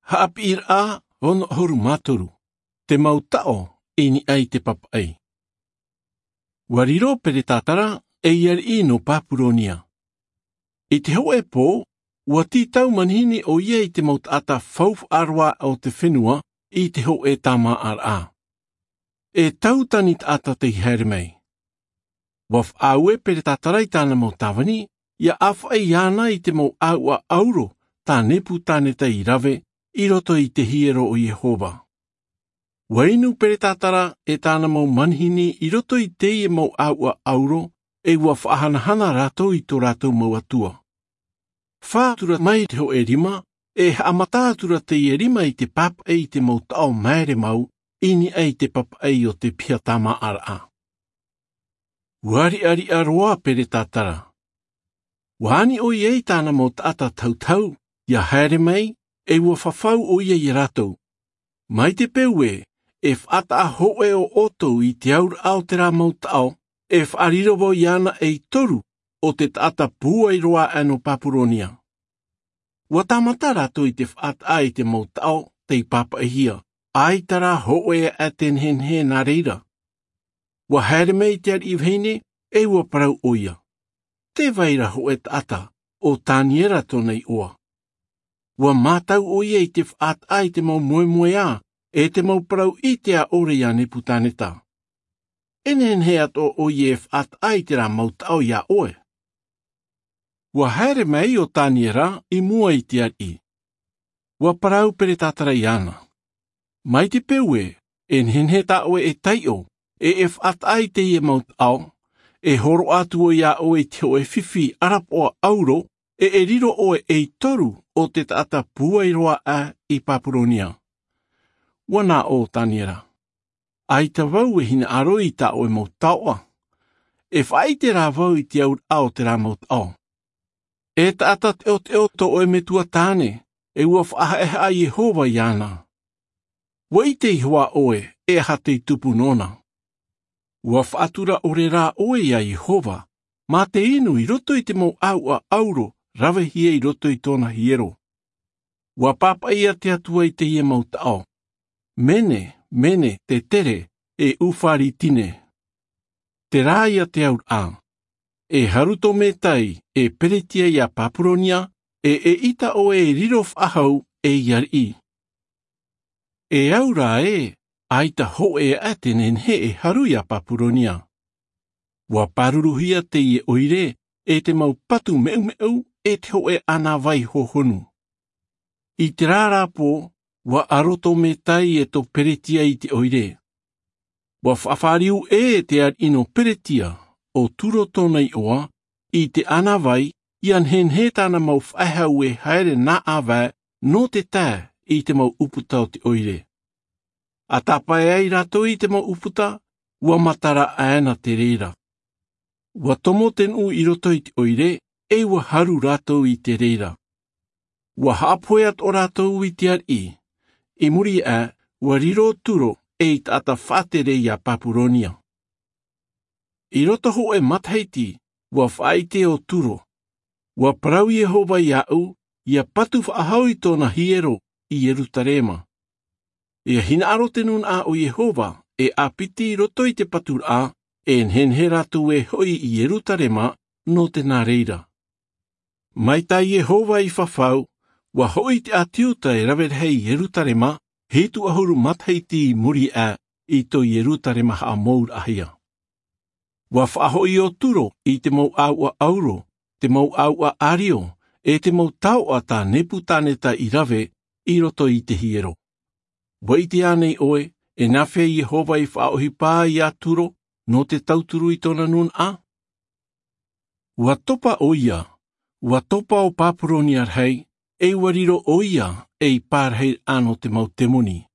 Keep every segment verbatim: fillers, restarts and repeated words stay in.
Haʻapiʻiraʻa ono ʻahuru mā toru. Te mau taʻo i niʻa i te papaʻi. Ua riro Peretatara ei ariʻi nō Papuronia. I te hōʻē pō, ua tītau manihini ʻo ia i te mau taʻata faufaʻa roa o te fenua i te hōʻē tāmāʻaraʻa. E tautani taʻata tei haere mai. Ua faʻaue Peretatara i tāna mau tāvini, ʻia ʻāfaʻi iāna i te mau ʻāuʻa ʻauro tā Nepukaneta i rave i roto i te hiero o Iehova. Ua inu Peretatara e tāna mau manihini i roto i teie mau ʻāuʻa ʻauro, e ua faʻahanahana rātou i tō rātou mau atua. Fā atu ra mai te hōʻē rima, e haʻamata atu ra teie rima i te papaʻi i te mau taʻo māere mau i niʻa i te papaʻi o te piha tāmāʻaraʻa. Ua riʻariʻa roa Peretatara. Ua ani ʻo ia i tāna mau taʻata tautau ʻia haere mai, e ua fafau ʻo ia iā rātou. Mai te peu ē, e faʻataʻa hōʻē ʻo ʻoutou i te auraʻa o terā mau taʻo, e faʻariro vau iāna ei toru o te taʻata pūai roa aʻe nō Papuronia. Ua tāmata rātou i te faʻataʻa i te mau taʻo tei papaʻihia, ʻaita rā hōʻē aʻe te nehenehe nā reira. Ua haere mai te ariʻi vahine, e ua parau ʻo ia. Tē vai ra hōʻē taʻata, ʻo Taniera tōna iʻoa. Ua mātau ʻo ia i te faʻataʻa i te mau moemoeā, e te mau parau ʻite ʻore iā Nepukaneta. E nehenehe atoʻa ʻo ia e faʻataʻa i terā mau taʻo iā ʻoe. Ua haere mai ʻo Taniera i mua i te ariʻi. Ua parau Peretatara iāna. Mai te peu ē, e nehenehe tā ʻoe e taiʻo, e e faʻataʻa i teie mau taʻo, e hōroʻa atu vau iā ʻoe i te hōʻē fifi ʻarapoʻa ʻauro, e e riro ʻoe ei toru o te taʻata pūai roa aʻe i Papuronia. Ua nā ʻō Taniera. ʻAita vau e hinaʻaro i tā ʻoe mau taoʻa. E faʻaʻite rā vau i te auraʻa o terā mau taʻo. E taʻata teʻoteʻo tō ʻoe metua tāne, e ua faʻahaʻehaʻa Iehova iāna. Ua ʻite iho ā ʻoe, e aha tei tupu nōna. Ua faʻatura ʻore rā ʻoe iā Iehova, mā te inu i roto i te mau ʻāuʻa ʻauro, ravehia i roto i tōna hiero. Ua pāpaʻi te Atua i teie mau taʻo. Mene, mene, tetere, e ufaritine. Terā ia te auraʻa. E haru tō Metai, e Peretia iā Papuronia, e eʻita ʻoe e riro faʻahou, ei ariʻi. E au rā ē, ʻaita hōʻē aʻe te nehenehe e haru iā Papuronia. Ua pāruruhia teie ʻoire, e te mau patu meumeu, e te hōʻē ʻānāvai hohonu. I terā rā pō, ua aro tō Metai e tō Peretia i te ʻoire. Ua faʻafāriu ʻē te ariʻi nō Peretia, ʻo Turo tōna iʻoa, i te ʻānāvai, ʻia nehenehe tāna mau faʻehau e haere nā ʻāvae nō te tae i te mau ʻūputa o te ʻoire. ʻA tāpae ai rātou i te mau ʻūputa, ua matara aʻena te reira. Ua tomo te nuʻu i roto i te ʻoire, e ua haru rātou i te reira. Ua haʻapohe atoʻa rātou i te ariʻi. I muri aʻe, ua riro Turo ei taʻata faʻatere iā Papuronia. I roto hōʻē matahiti, ua faʻaʻite ʻo Turo. Ua parau Iehova iāʻu, ʻia patu faʻahou i tōna hiero i Ierutarema. ʻIa hinaʻaro te nūnaʻa o Iehova, e ʻāpiti i roto i te paturaʻa, e nehenehe rātou e hoʻi i Ierutarema, nō te nā reira. Mai tā Iehova i fafau, ua hoʻi te ʻāti Iuta e rave rahi i Ierutarema, hitu ʻahuru matahiti i muri aʻe i tō Ierutarema haʻamouraʻahia. Ua faʻahoʻi ʻo Turo i te mau ʻāuʻa ʻauro, te mau ʻāuʻa ʻārio, e te mau taoʻa tā Nepukaneta i rave i roto i te hiero. Ua ʻite ānei ʻoe, e nāfea Iehova i faʻaʻohipa iā Turo, nō te tauturu i tōna nūnaʻa? Ua topa ʻo ia, ua topa ʻo Papuronia rahi, e ua riro ʻo ia, ei pārahiraʻa nō te mau temoni.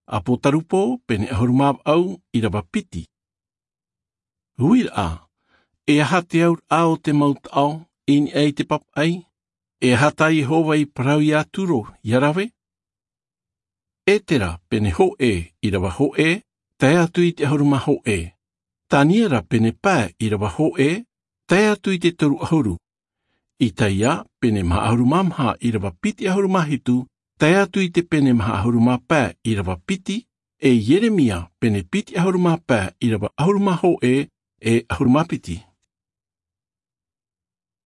ʻApotarupo, pene ʻahuru mā vaʻu, ʻīrava piti. Uiraʻa, e aha te auraʻa o te mau taʻo, i niʻa i te papaʻi, e aha tā Iehova i parau iā Turo, ʻia rave? Etera, pene hōʻē, ʻīrava hōʻē, tae atu i te ʻahuru mā hōʻē. Taniera, pene pae, ʻīrava hōʻē, tae atu i te toru ʻahuru. Isaia, pene maha ʻahuru mā maha, ʻīrava piti ʻahuru mā hitu, tae atu i te pene maha ʻahuru mā pae ʻīrava piti, e ieremia pene piti ʻahuru mā pae ʻīrava ʻahuru mā hōʻē e ʻahuru mā piti.